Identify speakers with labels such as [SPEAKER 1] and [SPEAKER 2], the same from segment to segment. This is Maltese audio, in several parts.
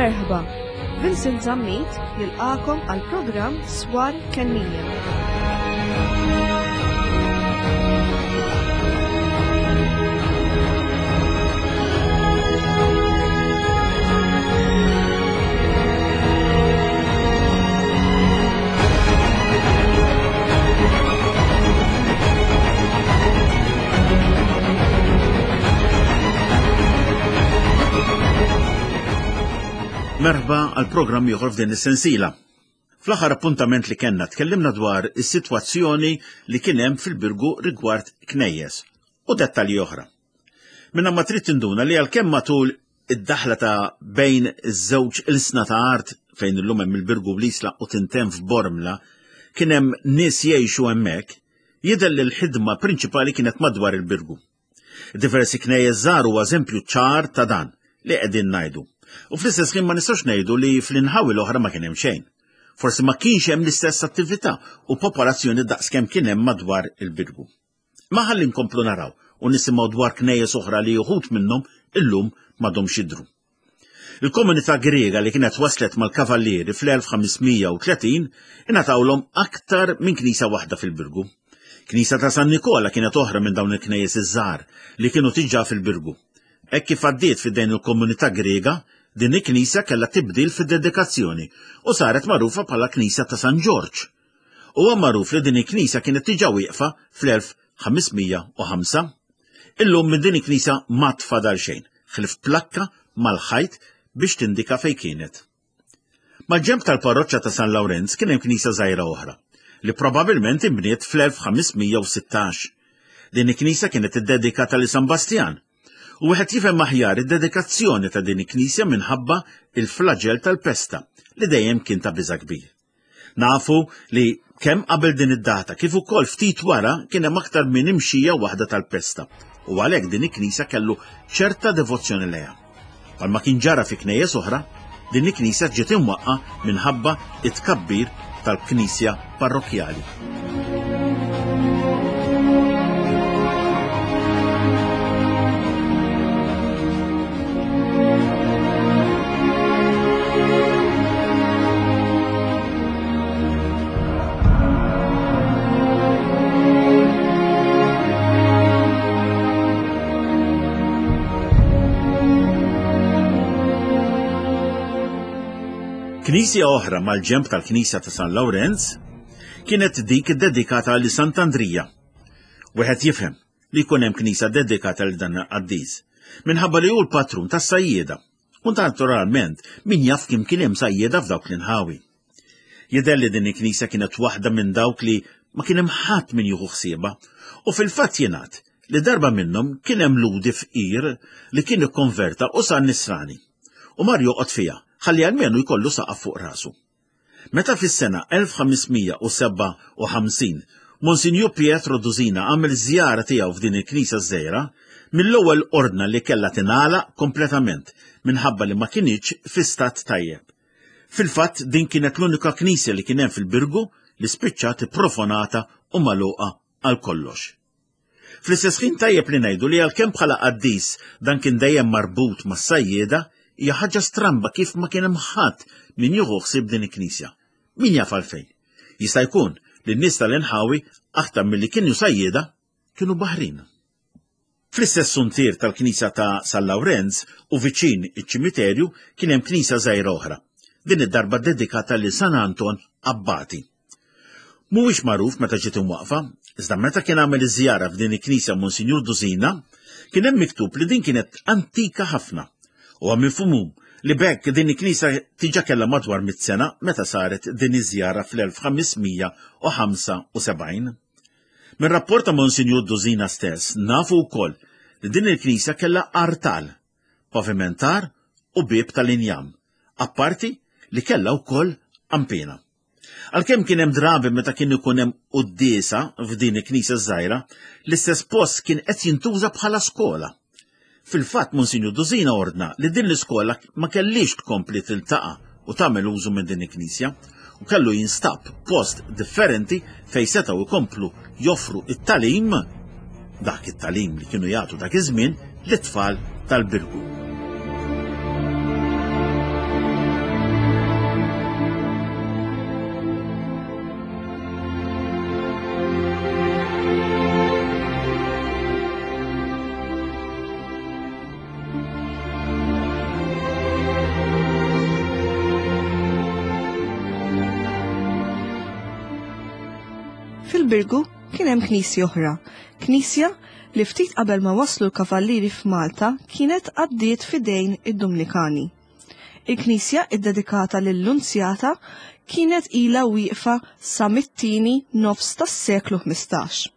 [SPEAKER 1] Merħba, Vincent Zammit jilqakom għal programm Swar Kennija.
[SPEAKER 2] Merħba għal programm ieħor f'din is-sensiela. Fl-aħħar appuntament li kellna tkellimna dwar is-sitwazzjoni li kien hemm fil-Birgu rigward knejjes u dettalji oħra. Minna ma trid tinduna li għalkemm matul id-daħla ta' bejn iż-żewġ ilsna ta' art fejn illum hemm il-Birgu bl-Isla u tintemm f'Bormla kien hemm nies jgħixu hemmhekk, jidher li l-ħidma prinċipali kienet madwar il-Birgu. Diversi knejjes żgħar huwa eżempju ċar ta' dan li qegħdin ngħidu. U fl-istess ħin ma nistgħux ngħidu li fl-inħawi l-oħra ma kien hemm xejn. Forsi ma kienx hemm l-istess attività u popolazzjoni daqskemm kien hemm madwar il-Birgu. Ma ħalli nkomplu naraw u nisimgħu dwar knejjes oħra li uħud minnhom illum m'għadhomx jidhru. Il-komunità Griega li kienet waslet mal-Kavallieri fl-1530 ingħatawlhom aktar minn knisja waħda fil-Birgu. Knisja ta' San Nikola kienet oħra minn dawn il-knejjes iż-żgħar li kienu tiġà fil-Birgu. Hekk kif għaddiet f'idejn il-komunità Griega, din il-knisja kellha tibdil fid-dedikazzjoni u saret magħrufa bħala Knisja ta' San Ġorġ. Huwa magħruf li din il-knisja kienet diġà wieqfa fl-1505. Illum minn din il-knisja ma tfadal xejn, ħlief plakka mal-ħajt biex tindika fejn kienet. Mal-ġenb tal-parroċċa ta' San Lawrenz kien hemm knisja żgħira oħra, li probabbilment inbniet fl-1516. Din il-knisja kienet iddedikata lil San Bastjan, u wieħed jifhem aħjar id-dedikazzjoni ta' din il-knisja minħabba il-flaġell tal-pesta li dejjem kien ta' biża' kbir. Nafu li kemm qabel din id-data kif ukoll ftit wara kien hemm aktar minn imxija waħda tal-pesta u għalhekk din il-knisja kellu ċerta devozzjoni lejha. Bħalma kien ġara fi knejjes oħra, din il-knisja ġiet imwaqqa minħabba it-tkabbir tal-knisja parrokkjali. Knisja oħra mal-ġenb tal-Knisja ta' San Lawrenz kienet dik dedikata li Sant'Andrija. Wieħed jifhem li jkun hemm knisja dedikata lil dan il-qaddis, minħabba li hu l-patrun tas-sajjieda. U naturalment, min jaf kim kien hemm sajjieda f'dawk l-inħawi. Jidher li din il-knisja kienet waħda minn dawk li ma kien hemm ħadd min jieħu ħsiebha, u fil-fatt jingħad li darba minnhom kien hemm ludi fqir li kien ikkonverta u sar nisrani. U mar joqgħod fiha ħalli almenu jkollu saqaf fuq rasu. Meta fis-sena 1557 Monsinjur Pietro Dusina għamel żjara tiegħu f'din il-knisja żgħira, mill-ewwel ordna li kellha tingħalaq kompletament minħabba li ma kinitx fi stat tajjeb. Fil-fatt din kienet l-unika knisja li kien hemm fil-Birgu li spiċċat ipprofonata u magħluqa għal kollox. Fl-istess ħin tajjeb li ngħidu li għalkemm bħala qaddis dan kien dejjem marbut mas-sajjieda, hija ħaġa stramba kif ma kien hemm ħadd min jieħu ħsieb din il-knisja. Min jaf għalfejn? Jista' jkun li n-nies tal-inħawi aktar milli kienu sajjieda kienu baħrin. Fl-istess suntier tal-knisja ta' San Lawrenz u viċin iċ-ċimiterju kien hemm knisja żgħira oħra, din id-darba dedikata lil San Anton Abbati. Mhuwiex magħruf meta ġiet imwaqqfa, iżda meta kien għamel iż-żjara f'din il-knisja Monsinjur Dusina, kien hemm miktub li din kienet antika ħafna. Huwa mifhum li b'hekk din il-knisja diġà kellha madwar mitt sena meta saret din iż-żjara fl-1575. Minn rapport ta' Monsinjur Dusina stess nafu wkoll li din il-knisja kellha artal, pavimentar u bieb tal-injam, apparti li kellha wkoll qanpiena. Għalkemm kien hemm drabi meta kien ikun hemm quddiesa f'din il-knisja żgħira, l-istess post kien qed jintuża bħala skola. Fil-fatt Monsinjur Dusina ordna li din l-iskola ma kellix tkompli tiltaqa' u tagħmel użu minn din il-knisja u kellu jinstab post differenti fejn setgħu jkomplu joffru it-tagħlim dak it-tagħlim li kienu jagħtu dak iż-żmien lit-tfal tal-Birgu.
[SPEAKER 1] Fil-Birgu kien hemm knisja oħra, knisja li ftit qabel ma waslu l-Kavallieri f'Malta kienet għaddiet f'idejn id-Dumnikani. Il-knisja iddedikata lil-Lunzjata kienet ilha wieqfa sa mit-tieni nofs tas-seklu 15.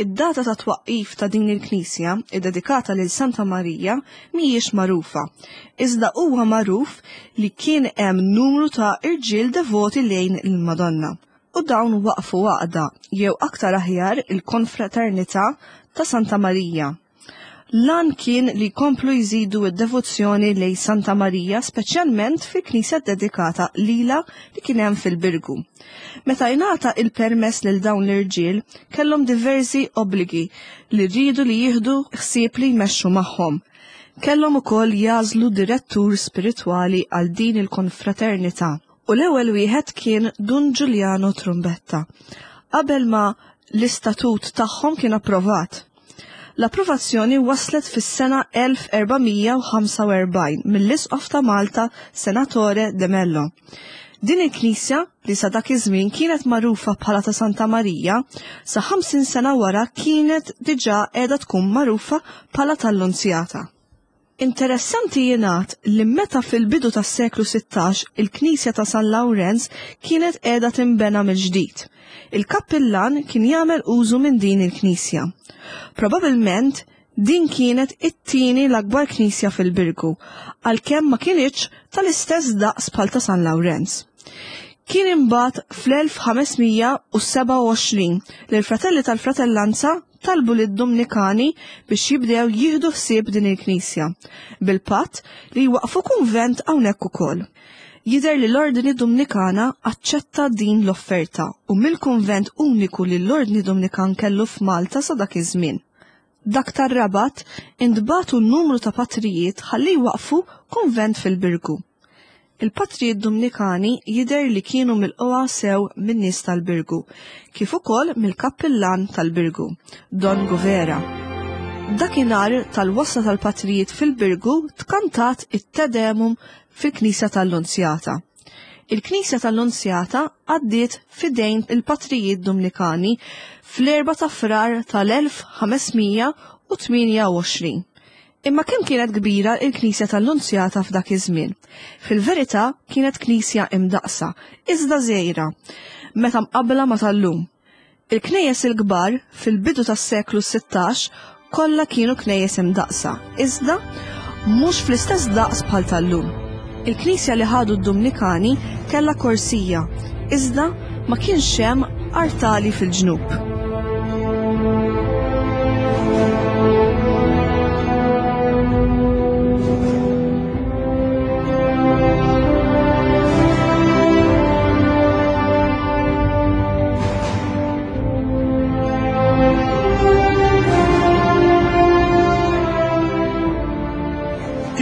[SPEAKER 1] Id-data ta' twaqqif ta' din il-knisja, iddedikata lil Santa Marija, mhijiex magħrufa, iżda huwa magħruf li kien hemm numru ta' irġiel devoti lejn il-Madonna, u dawn waqqfu għaqda, jew aktar aħjar il-Konfraternità ta' Santa Marija. L-għan kien li jkomplu jżidu d-devozzjoni lejn Santa Marija speċjalment fil-knisja ddedikata lilha li kien hemm fil-Birgu. Meta ingħata il-permess lil dawn l-irġiel, kellhom diversi obbligi li riedu li jieħdu ħsieb li jmexxu magħhom. Kellhom ukoll jagħżlu direttur spiritwali għal din il-konfraternità u l-ewwel wieħed kien Dun Giuliano Trumbetta, qabel ma l-istatut tagħhom kien approvat. L-approvazzjoni waslet fis-sena 1445 mill-Isqof ta' Malta Senatore de Mello. Din il-knisja, li sa dak iż-żmien kienet magħrufa bħala ta' Santa Marija, sa 50 sena wara kienet diġà qiegħda tkun magħrufa bħala tal-Lunzjata. Interessanti jingħad li meta fil-bidu tas-seklu 16 il-knisja ta' San Lawrenz kienet qiegħda tinbena mill-ġdid, il-kappillan kien jagħmel użu minn din il-knisja. Probabilment din kienet it-tieni l-akbar knisja fil-Birgu, għalkemm ma kinitx tal-istess daqs bħal ta' San Lawrenz. Kien imbagħad fl-1527 li l-Fratelli tal-Fratellanza talbu lid-Dumnikani biex jibdew jieħdu ħsieb din il-knisja, bil-patt li jwaqqfu kunvent hawnhekk ukoll. Jidher li l-Ordni Dumnikana aċċetta din l-offerta u mill-kunvent uniku li l-Ordni Dumnikan kellu f'Malta sa dak iż-żmien, dak tar-Rabat, intbagħtu numru ta' patrijiet ħalli jwaqqfu kunvent fil-Birgu. Il-patrijiet Dumnikani jidher li kienu milqugħa sew min-nies tal-Birgu, kif ukoll mill-kappillan tal-Birgu, Don Guvera. Dakinhar tal-wasla tal-patrijiet fil-Birgu tkantat it-Te Deum fil-knisja tal-Lunzjata. Il-knisja tal-Lunzjata għaddiet f'idejn il-patrijiet Dumnikani fl-4 ta' Frar tal-1528. Imma kemm kienet kbira l-knisja tal-Lunzjata f'dak iż-żmien? Fil-verità kienet knisja imdaqqsa, iżda żgħira, meta mqabbla ma' tal-lum. Il-knejjes il-kbar fil-bidu tas-seklu 16 kollha kienu knejjes imdaqqsa, iżda mhux fl-istess daqs bħal tal-lum. Il-knisja li ħadu d-Dumnikani kellha korsija, iżda ma kienx hemm artali fil-ġnub.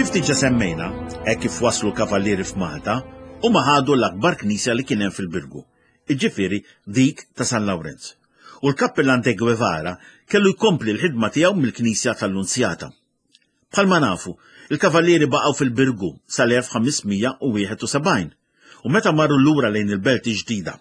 [SPEAKER 2] Kif diġa semmejna, hekk kif waslu l-kavallieri f'Malta, huma ħadu l-akbar knisja li kien hemm fil-Birgu, jiġifieri dik ta' San Lawrenz. U l-Kappillan de Guevara kellu jkompli l-ħidma tiegħu mill-knisja tal-Lunzjata. Bħalma nafu, il-Kavallieri baqgħu fil-Birgu sal-1571 u meta marru lura lejn il-Belt il-Ġdida.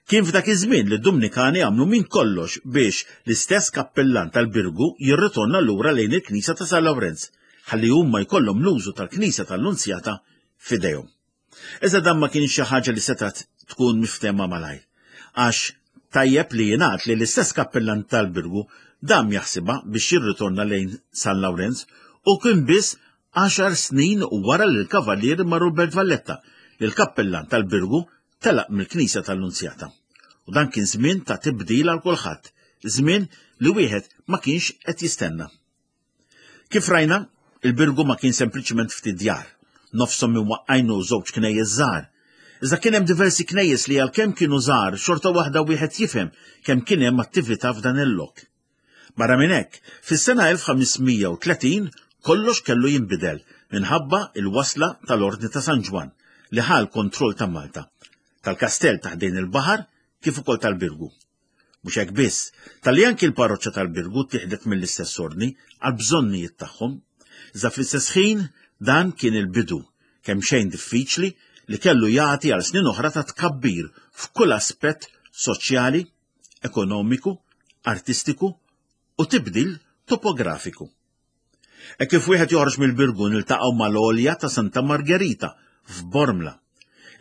[SPEAKER 2] Kien f'dak iż-żmien li d-Dumnikani għamlu minn kollox biex l-istess kappillan tal-Birgu jirritorna lura lejn il-knisja ta' San Lawrenz ħalli huma jkollhom l-użu tal-knisja tal-Lunzjata f'idejhom. Iżda dan ma kienx xi ħaġa li setgħet tkun miftehma malajr, għax tajjeb li jingħad li l-istess kappillan tal-Birgu dam jaħsibha biex jirritorna lejn San Lawrenz u kien biss għaxar snin wara li l-Kavallieri marru l-Belt Valletta li l-kappillan tal-Birgu telaq mill-Knisja tal-Lunzjata. U dan kien żmien ta' tibdil għal kulħadd, żmien li wieħed ma kienx qed jistenna. Kif rajna, il-Birgu ma kien sempliċement ftit djar, nofshom imwaqqajn u żewġ knejjes żgħar. Iżda kien hemm diversi knejjes li għalkemm kienu żgħar xorta waħda wieħed jifhem kemm kien hemm attività f'dan il-lok. Barra minn hekk, fis-sena 1530 kollox kellu jinbidel minħabba il-wasla tal-Ordni ta' San Ġwann li ħa l-kontroll ta' Malta, tal-kastell ta' ħdejn il-baħar kif ukoll tal-Birgu. Mhux hekk biss, talli anki l-parroċċa tal-Birgu ttieħdet mill-istess ordni għall-bżonnijiet tagħhom. Iżda fl-istess ħin dan kien il-bidu, kemm xejn diffiċli, li kellu jagħti għal snin oħra ta' tkabbir f'kull aspett soċjali, ekonomiku, artistiku u tibdil topografiku. Hekk kif wieħed joħroġ mill-Birgu niltaqgħu mal-għolja ta' Santa Margherita f'Bormla.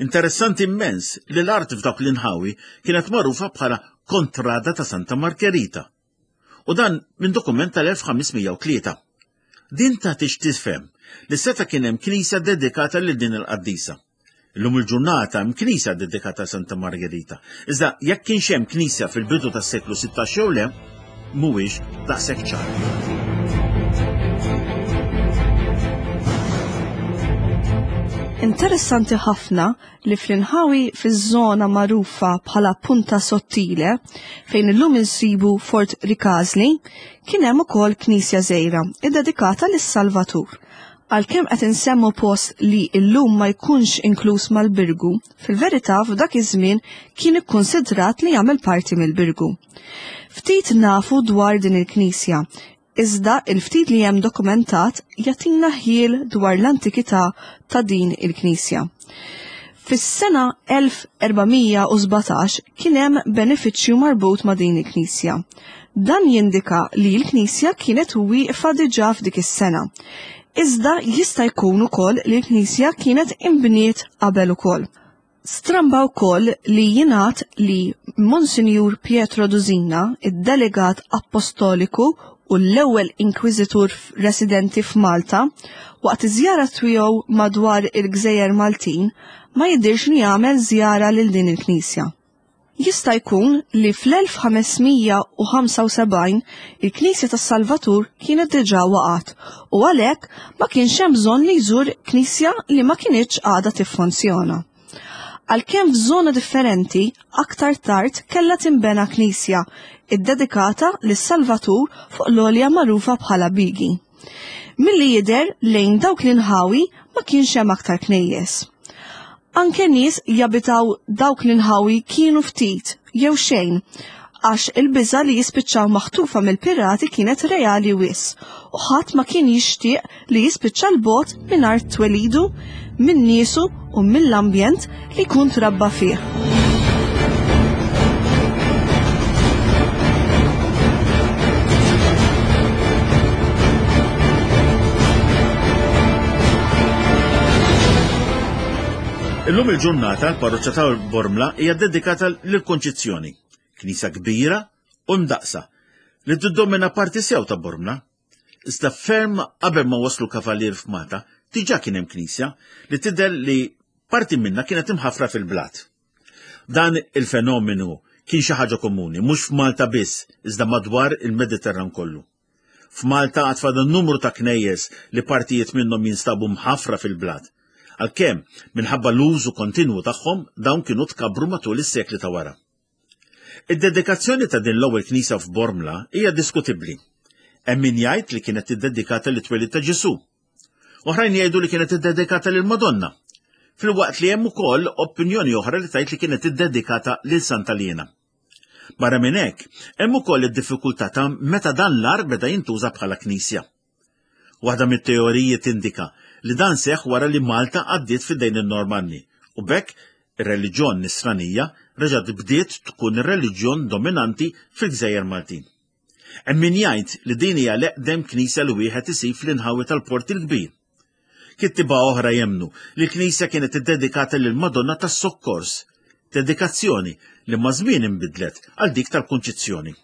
[SPEAKER 2] Interessanti immens li l-art f'dawk l-inħawi kienet magħrufa bħala Kontrada ta' Santa Margherita. U dan minn dokument tal-1503. Din tagħti x'tifhem li seta' kien hemm knisja dedikata lil din il-qaddisa. Illum il-ġurnata hemm knisja dedikata Santa Margherita. Iżda jekk kienx hemm knisja fil-bidu tas-seklu 16 jew le, mhuwiex daqshekk ċar.
[SPEAKER 1] Interessanti ħafna li fl-inħawi fiż-żona magħrufa bħala Punta Sottile, fejn illum insibu Fort Rikażli, kien hemm ukoll knisja żgħira iddedikata lis-Salvatur. Għalkemm qed insemmu post li illum ma jkunx inkluż mal-Birgu, fil-verità f'dak iż-żmien kien ikkunsidrat li jagħmel parti mill-Birgu. Ftit nafu dwar din il-knisja, iżda il-ftit li hemm dokumentat jagħtina ħjiel dwar l-antikità ta' din il-knisja. Fis-sena 1417 kien hemm benefiċċju marbut ma' din il-knisja. Dan jindika li l-knisja kienet wieqfa diġà f'dik is-sena. Iżda jista' jkun ukoll li l-knisja kienet inbniet qabel ukoll. Stramba wkoll li jingħad li Monsinjur Pietro Dusina, id-delegat appostoliku u l-ewwel inkwiżitur residenti f'Malta, waqt iż-żjara tiegħu madwar il-Gżejjer Maltin, ma jidhirx li għamel żjara lil din il-knisja. Jista' jkun li fl-1575 il-Knisja tas-Salvatur kienet diġà waqgħet u għalhekk ma kienx hemm bżonn li jżur knisja li ma kinitx għadha tiffunzjona. Għalkemm f'żona differenti, aktar tard kellha tinbena knisja iddedikata lis-Salvatur fuq l-għolja magħrufa bħala Bigi. Milli jidher lejn dawk l-inħawi ma kienx hemm aktar knejjes. Anke nies jabitaw dawk l-inħawi kienu ftit jew xejn għax il-biża' li jispiċċaw maħtufa mill-pirati kienet reali wis u ħadd ma kien jixtieq li jispiċċa 'l bogħod minn art twelidu, minn niesu u mill-ambjent li jkun trabba fih.
[SPEAKER 2] Illum il-ġurnata l-parroċċa ta' Bormla hija dedikata lill-Konċizzjoni, knisja kbira u mdaqsa li tiddomina parti sew ta' Bormla. Iżda ferm qabel ma waslu kavalier f'Malta, diġà kien hemm knisja li tidher li parti minnha kienet imħaffra fil-blat. Dan il-fenomenu kien xi ħaġa komuni, mhux f'Malta biss, iżda madwar il-Mediterran kollu. F'Malta għad fadal numru ta' knejjes li partijiet minnhom jinstabu mħaffra fil-blat. Għalkemm, minħabba l-użu kontinwu tagħhom, dawn kienu tkabbru matul is-sekli ta' wara. Id-dedikazzjoni ta' din l-ewwel knisja f'Bormla hija diskutibbli. Hemm min jgħid li kienet iddedikata lit-twelid ta' Ġesù. Oħrajn jgħidu li kienet iddedikata lill-Madonna. Filwaqt li hemm ukoll opinjoni oħra li tgħid li kienet iddedikata lil Santa Liena. Barra minn hekk, hemm ukoll id-diffikultà ta' meta dan l-għar beda jintuża bħala knisja. Waħda mit-teoriji tindika li dan seħħ wara li Malta għaddiet f'idejn in-Normanni u b'hekk ir-reliġjon Nisranija reġgħet bdiet tkun ir-reliġjon dominanti fil-gżejjer Maltin. Hemm min jgħid li din hija l-eqdem knisja li wieħed isib fl-inħawi tal-Port il-Kbir. Kittieba oħra jemmnu li l-knisja kienet iddedikata lill-Madonna tas-Sokkors, dedikazzjoni li maż-żmien inbidlet għal dik tal-Kunċizzjoni.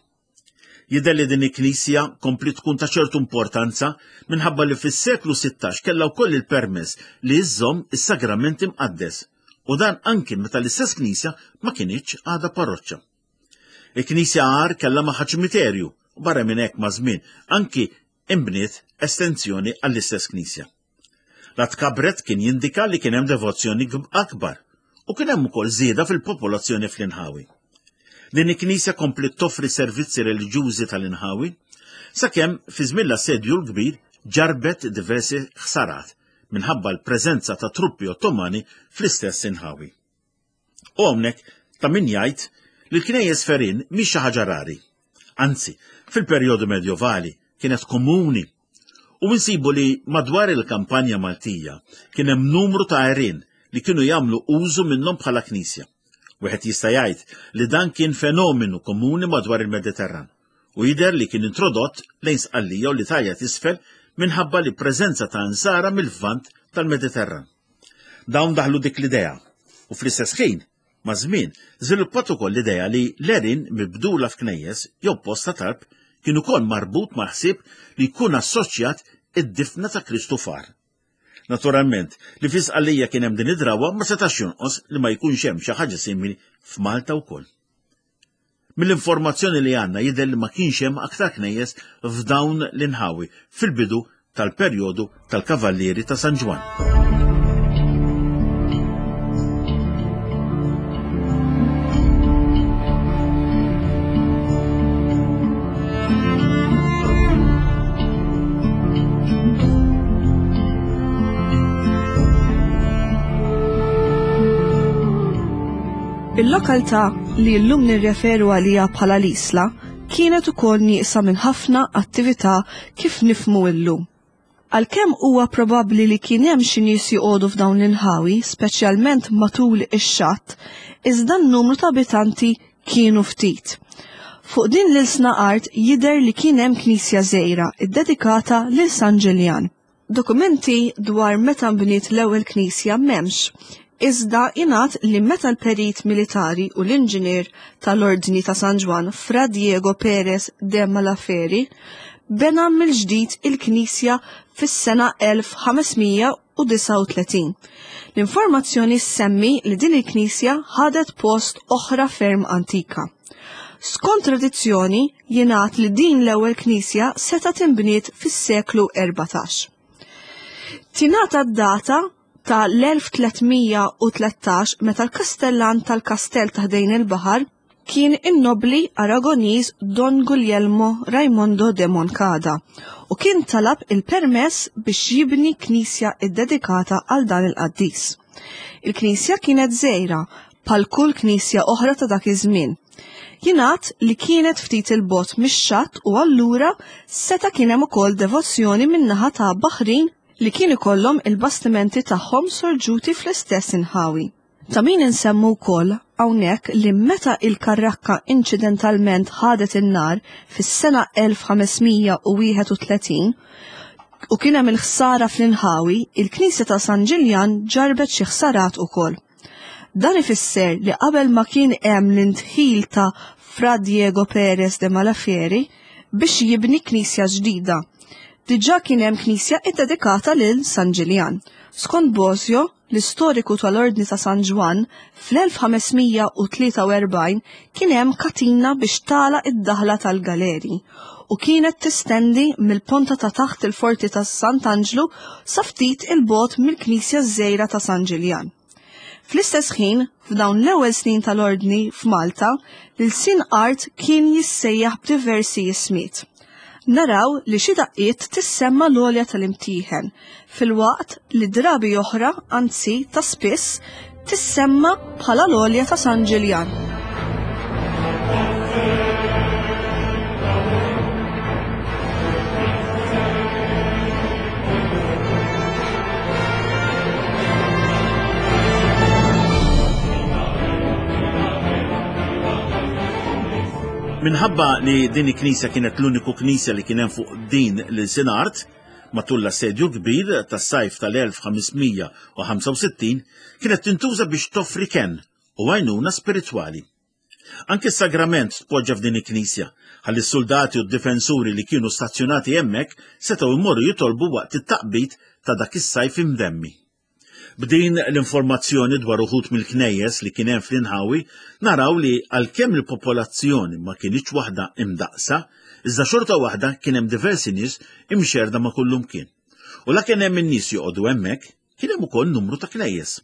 [SPEAKER 2] Jidher li din il-knisja kompliet tkun ta' ċertu importanza minħabba li fis-seklu 16 kellha wkoll il-permess li żżomm is-sagrament imqaddes u dan anki meta l-istess knisja ma kinitx għadha parroċċa. Il-knisja għar kellha magħha ċimiterju u barra minn hekk maż-żmien anki inbniet estensjoni għall-istess knisja. La tkabret kien jindika li kien hemm devozzjoni akbar u kien hemm ukoll żieda fil-popolazzjoni fl-inħawi. Din il-knisja kompliet toffri servizzi reliġjużi tal-inħawi sakemm fi żmien l-Assedju l-Kbir ġarbet diversi ħsarat minħabba l-preżenza ta' truppi Ottomani fl-istess inħawi. U hawnhekk ta' min jgħid li l-knejjes ferin mhix xi ħaġa rari. Anzi, fil-perjodu medjovali kienet komuni u nsibu li madwar il-kampanja Maltija kien hemm numru ta' għerien li kienu jagħmlu użu minnhom bħala knisja. Wieħed jista' jgħid li dan kien fenomenu komuni madwar il-Mediterran u jidher li kien introdott lejn Sqallija u l-Italja t'isfel minħabba li preżenza ta' insara mill-Lvant tal-Mediterran. Dawn daħlu dik l-idea u fl-istess ħin, maż-żmien, żviluppat ukoll l-idea li l-għerien mibdula f'knejjes jew post ta' talb kien ukoll marbut mal-ħsieb li jkun assoċjat id-difna ta' Kristu f'għar. Naturalment, li fi Sqallija kien hemm din id-drawwa ma setax jonqos li ma jkunx hemm xi ħaġa simili f'Malta wkoll. Mill-informazzjoni li għandna jidher li ma kienx hemm aktar knejjes f'dawn l-inħawi fil-bidu tal-perjodu tal-Kavallieri ta' San Ġwann.
[SPEAKER 1] Il-lokalità li llum nirreferu għaliha bħala l-Isla kienet ukoll nieqsa minn ħafna attività kif nifhmu illum. Għalkemm huwa probabbli li kien hemm xi nies joqogħdu f'dawn l-inħawi, speċjalment matul ix-xatt, iżda n-numru ta' abitanti kienu ftit. Fuq din l-ilsna art jidher li kien hemm knisja żgħira ddedikata lil San Ġiljan. Dokumenti dwar meta nbniet l-ewwel knisja m'hemmx, iżda ingħad li meta l-perit militari u l-inġinier tal-Ordni ta' San Ġwann Fra Diego Pérez de Malaferi bena mill-ġdid il-knisja fis-sena 1539. L-informazzjoni ssemmi li din il-knisja ħadet post oħra ferm antika. Skont tradizzjoni, jingħad li din l-ewwel knisja setgħet inbniet fis-seklu 14. Tingħata d-data ta' l-1313 meta l-kastellan tal-kastell ta' ħdejn il-baħar kien in-nobbli Aragoniż Don Guglielmo Raimondo de Moncada u kien talab il-permess biex jibni knisja ddedikata għal dan il-qaddis. Il-knisja kienet żgħira bħal kull knisja oħra ta' dak iż-żmien. Jingħad li kienet ftit 'il bogħod mix-xatt u allura seta' kien hemm ukoll devozzjoni min-naħa ta' baħrin li kien ikollhom il-bastimenti tagħhom sorġuti fl-istess inħawi. Ta' min insemmu wkoll hawnhekk li meta il-karrakka inċidentalment ħadet in-nar fis-sena 1531 u kien hemm il-ħsara fl-inħawi, il-knisja ta' San Ġiljan ġarrbet xi ħsarat ukoll. Dan ifisser li qabel ma kien hemm l-indħil ta' Fra Diego Pérez de Malafieri biex jibni knisja ġdida, diġà kien hemm knisja ddedikata lil San Ġiljan. Skont Bosio, l-istoriku tal-Ordni ta' San Ġwann, fl-1543 kien hemm katina biex tagħlaq id-daħla tal-galeri u kienet tistendi mill-ponta ta' taħt il-forti ta' Sant'Anġlu sa ftit 'il bogħod mill-knisja ż-żgħira ta' San Ġiljan. Fl-istess ħin, f'dawn l-ewwel snin tal-Ordni f'Malta, l-ilsien art kien jissejjaħ b'diversi ismiet. Naraw li xi daqqiet tissemma l-għolja tal-Imtieħen, filwaqt li drabi oħra, anzi ta' spiss, tissemma bħala l-għolja ta' San Ġiljan.
[SPEAKER 2] Minħabba li din il-knisja kienet l-uniku knisja li kien hemm fuq din l-ilsien art, Matul l-Assedju l-Kbir tas-sajf tal-1565 kienet tintuża biex toffri kenn u għajnuna spiritwali. Anki s-sagrament tpoġġa f'din il-knisja, ħalli s-suldati u d-difensuri li kienu stazzjonati hemmhekk setgħu jmorru jitolbu waqt it-taqbid ta' dak is-sajf imdemmi. B'din l-informazzjoni dwar uħud mill-knejjes li kien hemm fl-inħawi, naraw li għalkemm il-popolazzjoni ma kinitx waħda imdaqqsa, iżda xorta waħda kien hemm diversi nies imxerrda ma' kullumkien. U la kien hemm in-nies joqogħdu hemmhekk, kien hemm ukoll numru ta' knejjes.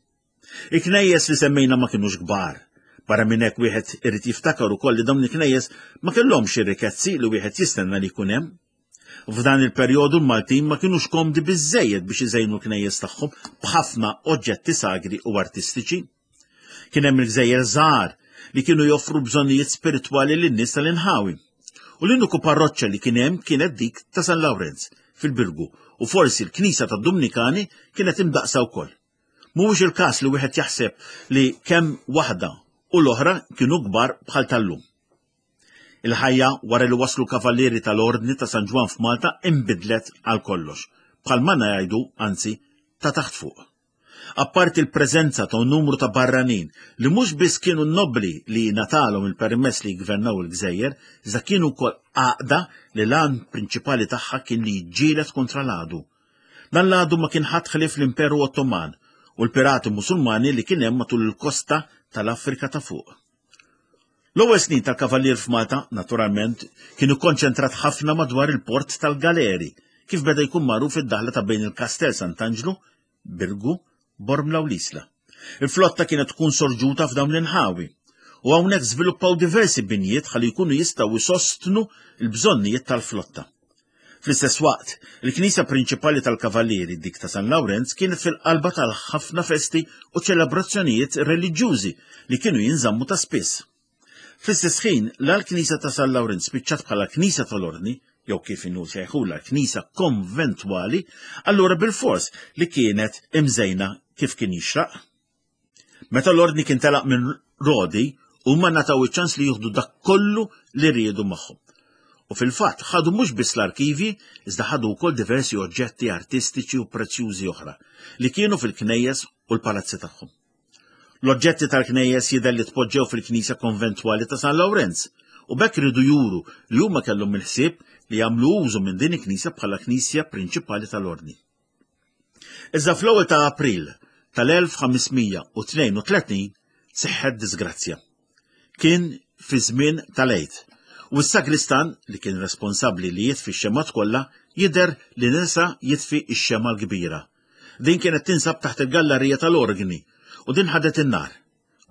[SPEAKER 2] Il-knejjes li semmejna ma kinux kbar. Barra minn hekk wieħed irid jiftakar ukoll li dawn il-knejjes ma kellhomx ir-rikezzi li wieħed jistenna li jkun hemm. F'dan il-perjodu l-Maltin ma kinux komdi biżżejjed biex iżejnu l-knejjes tagħhom b'ħafna oġġetti sagri u artistiċi. Kien hemm il-gżejjer żgħar li kienu joffru bżonnijiet spiritwali lin-nies tal-inħawi. U l-uniku parroċċa li kien hemm kienet dik ta' San Lawrenz fil-Birgu u forsi l-knisja tad-Dumnikani kienet imdaqsa wkoll. Mhuwiex il-każ li wieħed jaħseb li kemm waħda u l-oħra kienu kbar bħal tal-lum. Il-ħajja wara li waslu kavallieri tal-Ordni ta' San Ġwann f'Malta inbidlet għal kollox, bħal ma ngħidu anzi ta' taħt fuq. Apparti l-preżenza ta' numru ta' barranin li mhux biss kienu nobbli li ngħatalhom il-permess li jgvernaw il-gżejjer, iżda kienu wkoll għaqda li l-għan prinċipali tagħha kien li jiġġieled kontra l-għadu. Dan l-għadu ma kien ħadd ħlief l-Imperu Ottoman u l-pirati Musulmani li kien hemm matul il-kosta tal-Afrika ta' fuq. L-ewwel snin tal-Kavallier f'Malta, naturalment, kienu konċentrat ħafna madwar il-port tal-Galeri, kif beda jkun magħruf id-daħla ta' bejn il-Kastell Sant'Anġlu, Birgu, Bormla u l-Isla. Il-flotta kienet tkun sorġuta f'dawn l-inħawi, u hawnhekk żviluppaw diversi binjiet ħalli jkunu jistgħu jsostnu l-bżonnijiet tal-flotta. Fl-istess waqt, il-knisja prinċipali tal-Kavallieri, dik ta' San Lawrenz, kienet fil-qalba tal-ħafna festi u ċelebrazzjonijiet reliġjużi li kienu jinżammu ta' spiss. Fl-istess ħin, la l-knisja ta' San Lawrenz spiċċat bħala knisja tal-Ordni, jew kif inhu sejħula knisja konventwali, allura bilfors li kienet imżejna kif kien jixraq. Meta l-Ordni kien telaq minn Rodi, huma ngħataw iċ-ċans li jieħdu dak kollu li riedu magħhom. U fil-fatt ħadu mhux biss l-arkivji, iżda ħadu wkoll diversi oġġetti artistiċi u prezzjużi oħra li kienu fil-knejjes u l-palazzi tagħhom. L-oġġetti tal-knejjes jidher li tpoġġew fil-knisja konventwali ta' San Lawrenz u b'hekk riedu juru li huma kellhom il-ħsieb li jagħmlu użu minn din il-knisja bħala knisja prinċipali tal-Ordni. Iżda fl-ewwel ta' April tal-1532 seħħet disgrazzja. Kien fi żmien tal-Għid u s-sagristan li kien responsabbli li jitfi x-xemgħat kollha jidher li nesa jitfi x-xemgħa l-kbira. Din kienet tinsab taħt il-gallarija tal-orgni u din ħadet in-nar.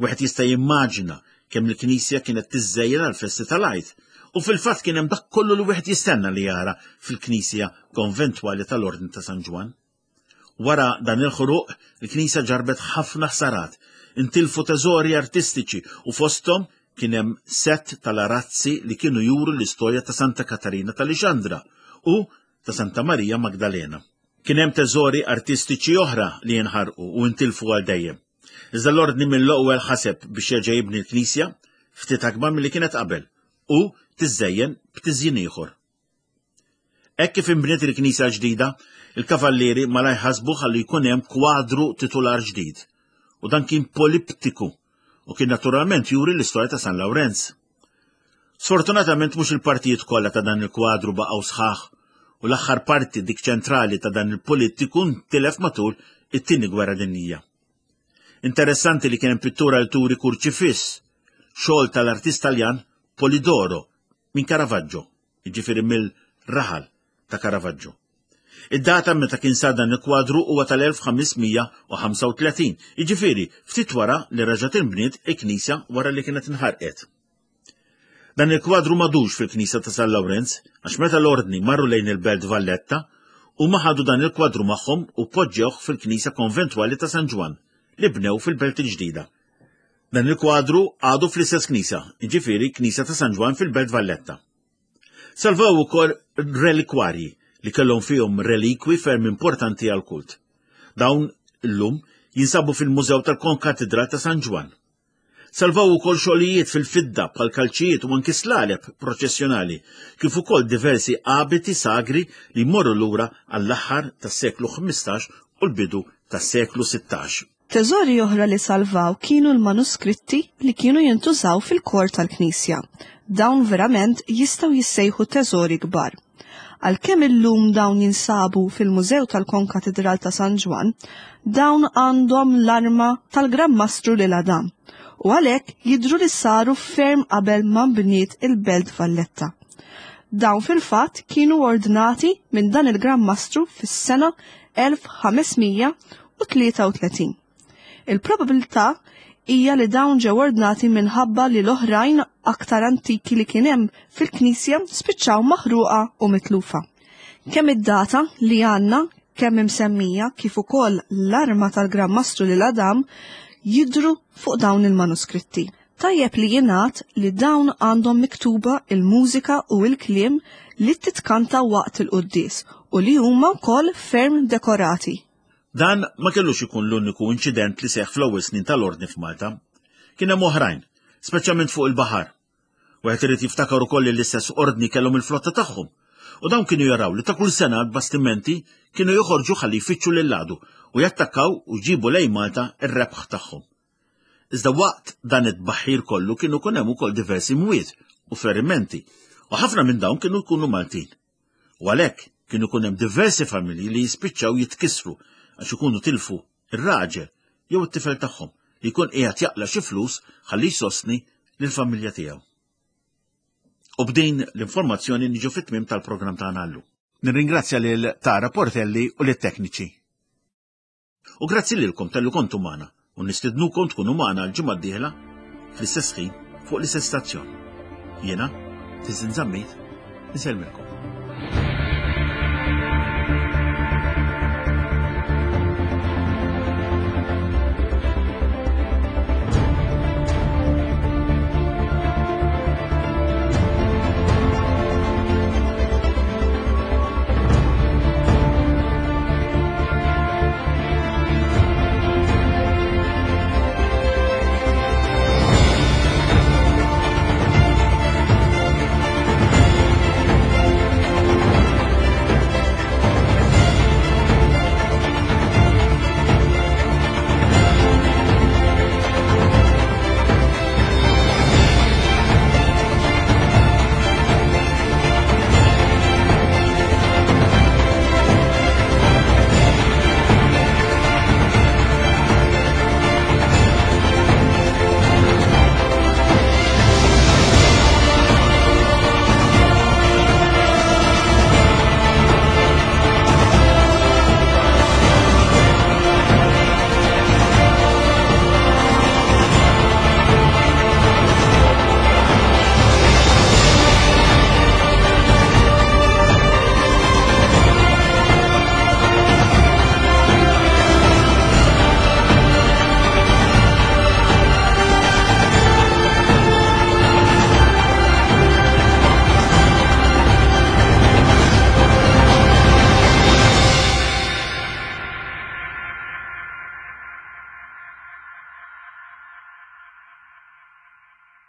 [SPEAKER 2] Wieħed jista' jimmaġina kemm il-knisja kienet tiżżejjen għall-festi tal-Għid u fil-fatt kien hemm dak kollu li wieħed jistenna li jara fil-knisja konventwali tal-Ordni ta' San Ġwann. Wara dan il-ħruq, il-knisja ġarbet ħafna ħsarat, intilfu teżori artistiċi u fosthom kien hemm sett tal-arazzi li kienu juru l-istorja ta' Santa Katarina ta' Lixandra u ta' Santa Marija Magdalena. Kien hemm teżori artistiċi oħra li jinħarqu u intilfu għal dejjem. Iżda l-Ordni mill-ewwel ħaseb biex jerġa' jibni l-knisja ftit akbar milli kienet qabel u tiżżejjen b'tiżjin ieħor. Hekk kif inbniet il-knisja l-ġdida, il-kavallieri malajr ħasbu ħalli jkun hemm kwadru titular ġdid. U dan kien poliptiku u kien naturalment juri l-istorja ta' San Lawrenz. Sfortunatament mhux il-partijiet kollha ta' dan il-kwadru baqgħu sħaħ u l-aħħar parti dik ċentrali ta' dan il-politiku ntilef matul it-Tieni Gwerra Dinjija. Interessanti li kien hemm pittura li turi kurċifiss, xogħol tal-artist Taljan Polidoro minn Caravaggio, jiġifieri mill-raħal ta' Caravaggio. Id-data meta kien sar dan il-kwadru huwa tal-1535, jiġifieri ftit wara li reġgħet inbniet il-knisja wara li kienet inħarqet. Dan il-kwadru m'għadux fil-knisja ta' San Lawrenz għax meta l-Ordni marru lejn il-Belt Valletta, huma ħadu dan il-kwadru magħhom u poġġewh fil-knisja konventwali ta' San Ġwann li bnew fil-Belt il-Ġdida. Dan il-kwadru għadu fl-istess knisja, jiġifieri Knisja ta' San Ġwann fil-Belt Valletta. Salvaw ukoll relikwarji li kellhom fihom relikwi ferm importanti għall-kult. Dawn illum jinsabu fil-Mużew tal-Konkatidral ta' San Ġwann. Salvaw ukoll xogħlijiet fil-fidda bħal kalċijiet u anki slaleb proċessjonali, kif ukoll diversi abiti sagri li jmorru lura għall-aħħar tas-seklu 15 u l-bidu tas-seklu 16.
[SPEAKER 1] Teżori oħra li salvaw kienu l-manuskritti li kienu jintużaw fil-kor tal-knisja. Dawn verament jistgħu jissejħu teżori kbar. Għalkemm illum dawn jinsabu fil-Mużew tal-Konkatidral ta' San Ġwann, dawn għandhom l-arma tal-Gran Mastru Lil Adam u għalhekk jidhru li saru ferm qabel ma nbniet il-Belt Valletta. Dawn fil-fatt kienu ordnati minn dan il-Gran Mastru fis-sena 1533. Il-probabilità hija li dawn ġew ordnati minħabba li l-oħrajn aktar antiki li kien hemm fil-knisja spiċċaw maħruqa u mitlufa. Kemm id-data li għandna kemm imsemmija kif ukoll l-arma tal-Gran Mastru lil Adam jidhru fuq dawn il-manuskritti. Tajjeb li jingħad li dawn għandhom miktuba il-mużika u l-kliem li titkanta waqt il-quddies u li huma wkoll ferm dekorati.
[SPEAKER 2] Dan ma kellux ikun l-uniku inċident li seħħ fl-ewwel snin tal-Ordni f'Malta. Kien hemm oħrajn. speċjalment fuq il-baħar. Wieħed irid jiftakar ukoll li l-istess ordni kellhom il-flotta tagħhom. U dawn kienu jaraw li ta' kull sena l-bastimenti kienu joħorġu ħalli jfittxu lil għadu u jattakkaw u jġibu lejn Malta r-rebħ tagħhom. Iżda waqt dan it-tbaħħir kollu kienu kun hemm ukoll diversi mwiet u ferimenti u ħafna minn dawn kienu jkunu Maltin. U għalhekk kienu jkun hemm diversi familji li jispiċċaw jitkissru għax ikunu tilfu ir-raġel jew it-tifel tagħhom li jkun qiegħed jaqla' xi flus ħalli jsostni lill-familja tiegħu. U b'din l-informazzjoni niġu fit-tmiem tal-programm tagħna llum. Nirringrazzja lil Tara Portelli u lit-tekniċi. U grazzi lilkom talli kontu magħna u nistidnukom tkunu magħna l-ġimgħa d-dieħla fl-istess ħin fuq l-istess stazzjon. Jiena, Tiżin Zammit, insellmilkom.